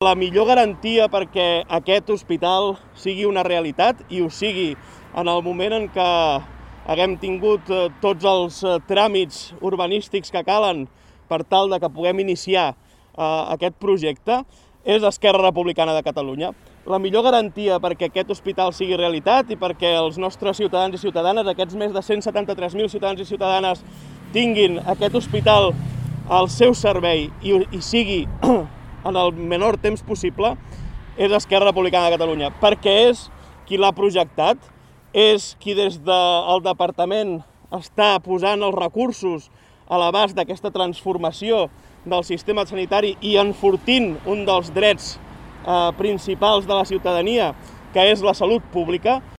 La millor garantia perquè aquest hospital sigui una realitat i ho sigui en el moment en què haguem tingut tots els tràmits urbanístics que calen per tal de que puguem iniciar aquest projecte és Esquerra Republicana de Catalunya. La millor garantia perquè aquest hospital sigui realitat i perquè els nostres ciutadans i ciutadanes, aquests més de 173.000 ciutadans i ciutadanes, tinguin aquest hospital al seu servei i sigui en el menor temps possible, és Esquerra Republicana de Catalunya, perquè és qui l'ha projectat, és qui des del departament està posant els recursos a l'abast d'aquesta transformació del sistema sanitari i enfortint un dels drets principals de la ciutadania, que és la salut pública.